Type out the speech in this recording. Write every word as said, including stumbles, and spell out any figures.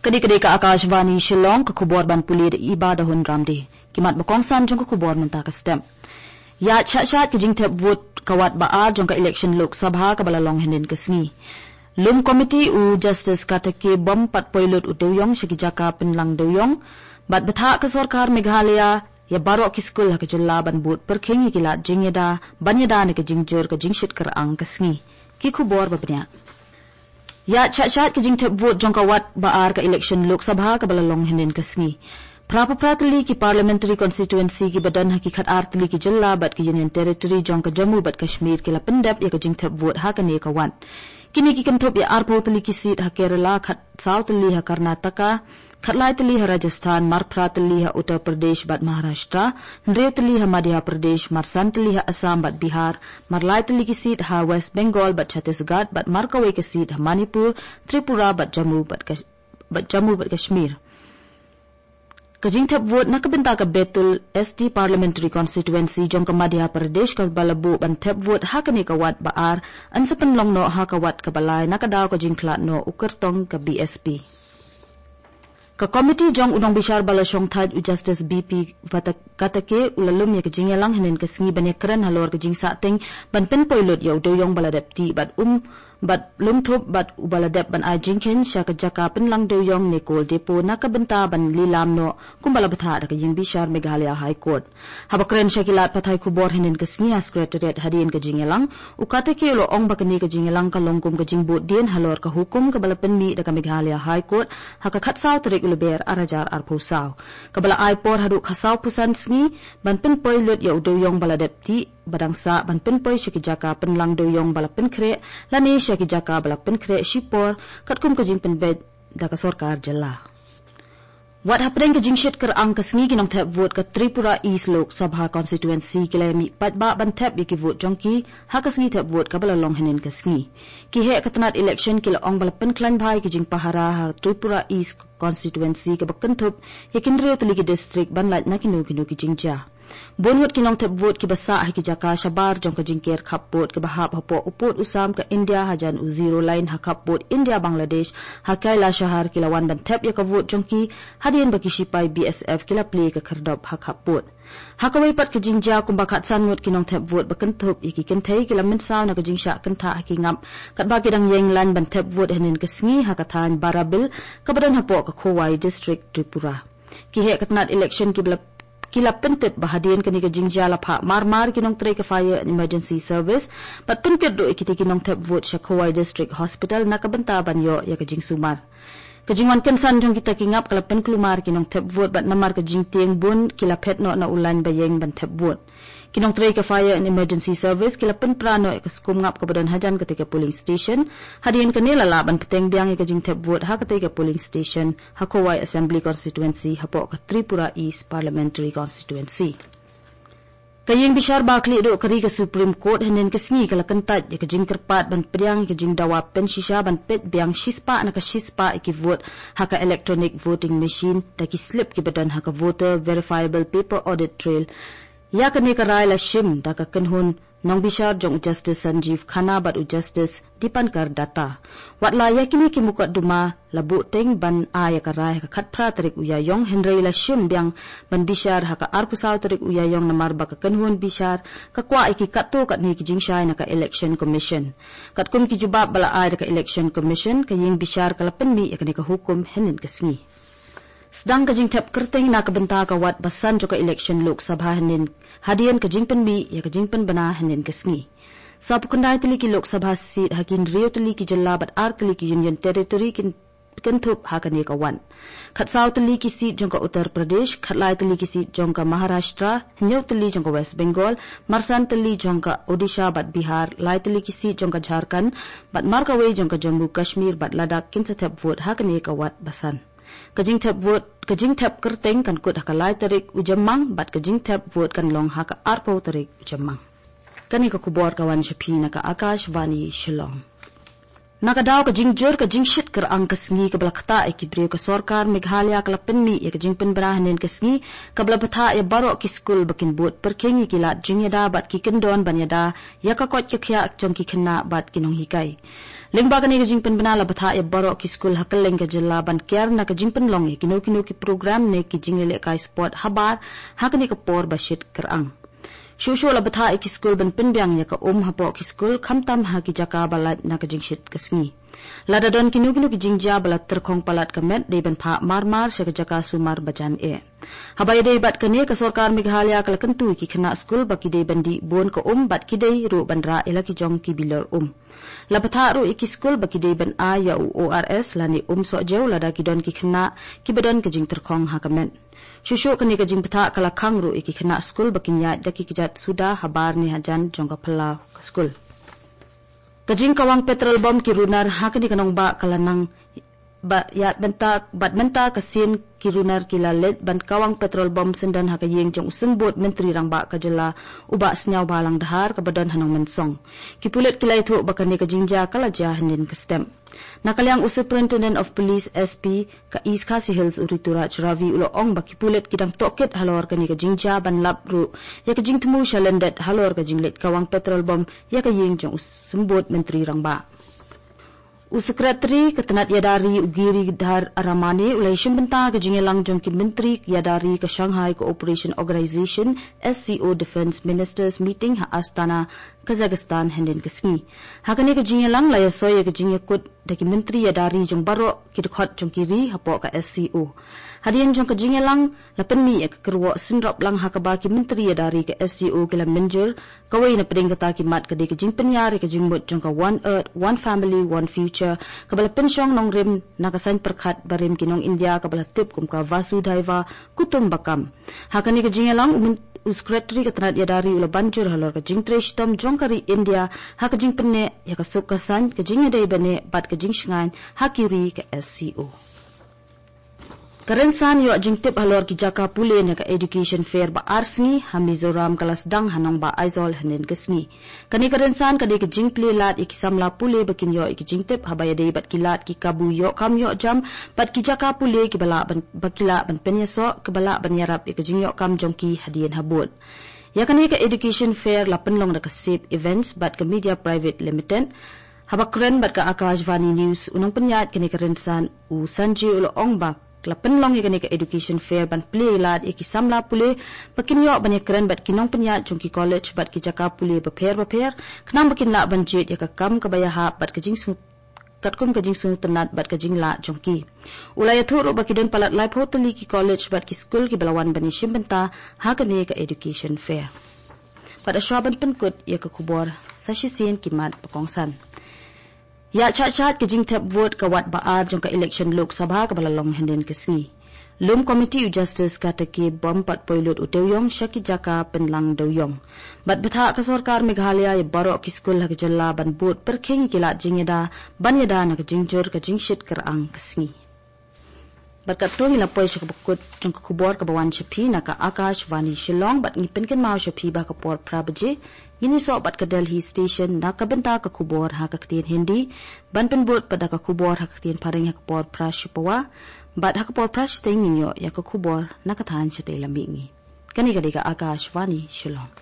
Ka dei ka dei ka Akashvani Shillong, ka khubor ban pule da i Bah Dahun Ramdie. Ki mat ba kongsan jong ka khubor mynta ka step. Ïaid shah shah ka jingthep vote ka wat ba ar jong ka election Lok Sabha kaba la long hynnin ka sngi. Lum komiti u Justice Katake bym pat poi lut u dewïong sha ki jaka pynlang dewïong. Bad bthah ka sorkar Meghalaya ïa baroh ki skul ha ka jylla ban bud pyrkhing ïa ki lad jingïada ban ïada na ka jingjur ka jingshit kyrang ka sngi. Ki khubor ba bniah. Ïaid shah shah ka jingthep vote jong ka wat ba ar ka election Lok Sabha kaba la long hynnin ka sngi. Phra phew phra tylli ki parliamentary constituency kiba don ha ki khat ar tylli ki jylla bad ki Union Territory jong ka Jammu bad Kashmir ki la pyndep ïa ka jingthep vote ha kane ka wat. Kine ki kynthup ïa arphew tylli ki seat ha Kerala, khat saw tylli ha Karnataka, khat lai tylli ha Rajasthan, mar phra tylli ha Uttar Pradesh bad Maharashtra, hynriew tylli ha Madhya Pradesh, mar san tylli ha Assam bad Bihar, mar lai tylli ki seat ha West Bengal bad Chhattisgarh bad mar kawei ka seat ha Manipur, Tripura bad Jammu bad Kash-, bad Jammu bad Kashmir. Ka jingthep vote na ka bynta ka Betul S T Parliamentary Constituency jong ka Madhya Pradesh kaba la buh ban thep vote ha kane ka wat ba ar, yn sa pynlong noh ha ka wat kaba lai na ka daw ka jingkhlad noh u kyrtong ka B S P. Ka komiti jong u nongbishar ba la shong thait u Justice B P Vata-, Katake u la lum ïa ka jingïalang hynnin ka sngi ban ïakren halor ka jingsahteng ban pynpoi lut ïa u dewïong ba la dep tih bad um bad lum thup bad uba la dep ban ai jingkheiñ sha ka jaka pynlang dewïong ne coal depot na ka bynta ban lilam noh kumba la bthah da ka ïing bishar Meghalaya High Court. Haba kren sha ki lad pathai khubor hynnin ka sngi ha Secretariat hadien ka jingïalang, u Katake u la ong ba kane ka jingïalang ka long kum ka jingbud dien halor ka hukum kaba la pynmih da ka Meghalaya High Court ha ka khat saw tarik u Lber ar hajar arphew saw, kaba la ai por haduh khat saw phew san sngi ban pynpoi lut ïa u dewïong ba la dep tih, ba dang sah ban pynpoi sha ki jaka pynlang dewïong ba la pynkhreh lane sha ki jaka ba la pynkhreh shipor katkum ka jingpynbeit da ka sorkar jylla. Wat hapdeng ka jingshit kyrang ka sngi, ki nongthep vote ka Tripura East Lok Sabha Constituency ki la mih paidbah ban thep ïa ki vote jong ki ha ka sngi thep vote kaba la long hynnin ka sngi. Ki heh ka tnat election ki la ong ba la pynkhlaiñ bha ïa ki jingpahara ha Tripura East Constituency kaba kynthup ïa ki hynriew tylli ki district ban lait na kino kino ki jingjia. Bun ngut ki nongthep vote kiba sah ha ki jaka shabar jong ka jingker khap vote kaba hap hapoh u pud u sam ka India hajan u zero line ha khap vote India Bangladesh ha Kailashahar ki la wan ban thep ïa ka vote jong ki, hadien ba ki shipai B S F ki la plie ka khyrdop ha khap vote. Ha kawei pat ka jingjia, kumba khatsan ngut ki nongthep vote ba kynthup ïa ki kynthei ki la mynsaw na ka jingshah kynthah ha ki ngap katba ki dang ïeng lain ban thep vote hynnin ka sngi ha ka thaiñ Barabil kaba don hapoh ka Khowai District, Tripura. Ki heh ka tnat election ki la, ki la pyntip ba hadien kane ka jingjia la phah mar mar ki nongtrei ka Fire and Emergency Service bad pynkit ruh ïa kitei ki nongthep vote sha Khowai District Hospital na ka bynta ban ïoh ïa ka jingsumar. Ka jingwan kynsan jong kita ki ngap ka la pynkulmar ki nongthep vote bad namar ka jingtieng bun ki la phet noh na u lain ba ïeng ban thep vote. Ki nongtrei ka Fire and Emergency Service ki la pynpra noh ïa ka skum ngap kaba don hajan katei ka polling station. Hadien kane la lah ban bteng biang ïa ka jingthep vote ha katei ka polling station ha Khowai Assembly Constituency hapoh ka Tripura East Parliamentary Constituency. Ka ïing bishar ba khlieh duh ka ri ka Supreme Court hynnin ka sngi ka la kyntait ïa ka jingkyrpad ban pdiang ïa ka jingdawa pynshisha ban peit biang shispah na ka shispah ïa ki vote ha ka electronic voting machine da ki slip kiba don ha ka Voter Verifiable Paper Audit Trail. Ïa kane ka rai la shim da ka kynhun nongbishar jong u Justice Sanjeev Khanna bad u Justice Dipankar Datta. Wat la ïa kine ki mukotduma la buhteng ban ai ïa ka rai ha ka khatphra tarik u Ïaïong, hynrei la shim biang ban bishar ha ka arphew saw tarik u Ïaïong namar ba ka kynhun bishar ka kwah ïa ki katto katne ki jingshai na ka Election Commission. Katkum ki jubab ba la ai da ka Election Commission, ka ïing bishar ka la pynmih ïa kane ka hukum hynnin ka sngi. Sdang ka jingthep kyrteng na ka bynta ka wat ba san jong ka election Lok Sabha hynnin, hadien ka jingpynmih ïa ka jingpynbna hynnin ka sngi. Sawphew khyndai tylli ki Lok Sabha seat ha ki hynriew tylli ki jylla bad ar tylli ki Union Territory kin, kynthup ha kane ka wat. Khatsaw tylli ki seat jong ka Uttar Pradesh, khatlai tylli ki seat jong ka Maharashtra, hynñiew tylli jong ka West Bengal, marsan tylli jong ka Odisha bad Bihar, lai tylli ki seat jong ka Jharkhand bad markawei jong ka Jammu Kashmir bad Ladakh kin sa thep vote ha kane ka wat ba san. Ka jingthep vote, ka jingthep kyrteng kan kut ha ka lai tarik u Jymmang bad ka jingthep vote kan long ha ka arphew tarik u Jymmang. Kane ka khubor ka wan sha phi na ka Akashvani Shillong. Na ka daw ka jingjur ka jingshit kyrang ka sngi kaba la ktah ïa ki briew, ka sorkar Meghalaya ka la pynmih ïa ka jingpynbna hynnin ka sngi kaba la bthah ïa baroh ki skul ba kin bud pyrkhing ïa ki lad jingïada bad ki kyndon ban ïada ïa ka koit ka khiah jong ki khynnah bad ki nonghikai. Lyngba kane ka jingpynbna la bthah ïa baroh ki skul ha kylleng ka jylla ban kiar na ka jingpynlong ïa kino kino ki program ne ki jingïalehkai sport habar ha kane ka por ba shit kyrang. Shuh shuh la bthah ïa ki skul ban pynbiang ïa ka um hapoh ki skul, khamtam ha ki jaka ba lait na ka jingshit ka sngi. Lada don kino kino ki jingjia ba la tyrkhong palat ka met, dei ban phah mar mar sha ka jaka sumar ba jan eh. Haba ïadei bad kane, ka sorkar Meghalaya ka la kyntu ïa ki khynnah skul ba ki dei ban dih bun ka um bad ki dei ruh ban rah ïa la ki jong ki bilor um. La bthah ruh ïa ki skul ba ki dei ban ai ïa u O R S lane um sohjew lada ki don ki khynnah kiba don ka jingtyrkhong ha ka met. Shuh shuh kane ka jingbthah ka la khang ruh ïa ki khynnah skul ba kin ïaid da ki kjat suda habar ne hajan jong ka phyllaw ka skul. Ka jingkawang petrol bom ki runar ha kane ka nongbah ka la nang ba ïa bynta, bad mynta ka sien ki runar ki la leit ban kawang petrol bom syndon ha ka ïing jong u Symbud Myntri Rangbah ka jylla, u Bah Sniawbhalang Dhar, kaba don ha Nongmynsong. Ki pulit ki la ïathuh ba kane ka jingjia ka la jia hynnin ka step. Na ka liang u Superintendent of Police, S P, ka East Khasi Hills, u Rituraj Ravi, u la ong ba ki pulit ki dang tohkit halor kane ka jingjia ban lap ruh ïa ka jingthmu sha lyndet halor ka jingleit kawang petrol bom ïa ka ïing jong u Symbud Myntri Rangbah. U Secretary ka tnat ïada ri, u Giridhar Ramane, u la ïashim bynta ka jingïalang jong ki myntri ïada ri ka Shanghai Cooperation Organization, S C O, Defence Ministers Meeting ha Astana, Kazakhstan, hynnin ka sngi. Ha kane ka jingïalang la ïasoi ïa ka jingïakut da ki myntri ïada ri jong baroh ki dkhot jong ki ri hapoh ka S C O. Hadien jong ka jingïalang la pynmih ïa ka kyrwoh synrop lang ha kaba ki myntri ïada ri ka S C O ki la mynjur, kawei na pdeng kata ki mat ka dei ka jingpynïar ïa ka jingmut jong ka One Earth, One Family, One Future, kaba la pynshong nongrim na ka saiñ pyrkhat barim ki nong India kaba la tip kum ka Vasudhaiva Kutumbakam. Ha kane ka jingïalang u myn-, u Secretary ka tnat ïada ri u la ban jur halor ka jingtrei shitom jong ka ri India ha ka jingpynneh ïa ka suk ka saiñ, ka jingïadei bynne bad ka jingshngaiñ ha ki ri ka S C O. Ka rynsan ïoh jingtip halor ki jaka pule na ka Education Fair ba ar sngi ha Mizoram ka la sdang ha Nongbah Aizawl hynnin ka sngi. Kane ka rynsan ka dei ka jingplie lad ïa ki samla pule ba kin ïoh ïa ki jingtip haba ïadei bad ki lad ki kabu ïoh kam ïoh jam bad ki jaka pule kiba lah ban, ba ki lah ban pynïasoh, kiba lah ban ïarap ïa ka jingïoh kam jong ki hadien habud. Ïa kane ka Education Fair la pynlong da ka Sep Events bad ka Media Private Limited. Haba kren bad ka Akashvani News, u nongpynïaid kane ka rynsan, u Sanjay, u la ong ba la pynlong ïa kane ka Education Fair ban plie lad ïa ki samla pule ba kin ïoh ban ïakren bad ki nongpynïaid jong ki college bad ki jaka pule bapher bapher, khnang ba kin lah ban jied ïa ka kam kaba ïahap bad ka jingsngew, katkum ka jingsngewtynnat bad ka jinglah jong ki. U la ïathuh ruh ba ki don palat laiphew tylli ki college bad ki skul kiba la wan ban ïashim bynta ha kane ka Education Fair. Bad hashwa ban pynkut ïa ka khubor, sa shisien ki mat ba kongsan. Ïa shah shah ka jingthep vote ka wat ba ar jong ka election Lok Sabha kaba la long hynnin ka sngi. Lum Committee u Justice Karthikeyan Bam pat poi lut u dewïong sha ki jaka pynlang dewïong. Bad bthah ka sorkar Meghalaya ïa baroh ki skul ha ka jylla ban bud pyrkhing ïa ki lad jingïada ban ïada na ka jingjur ka jingshit kyrang ka sngi. Bad katto ngi la poi sha kaba kut jong ka khubor kaba wan sha phi na ka Akashvani Shillong, bad ngi pynkynmaw sha phi ba ha ka por phra baje ngin ïasoh bad ka Delhi Station na ka bynta ka khubor ha ka ktien Hindi, ban pynbud pat da ka khubor ha ka ktien Phareng ha ka por phra shi pawa, bad ha ka por phra shiteng ngin ïoh ïa ka khubor na ka thaiñ shatei lam mihngi. Kane ka dei ka Akashvani Shillong.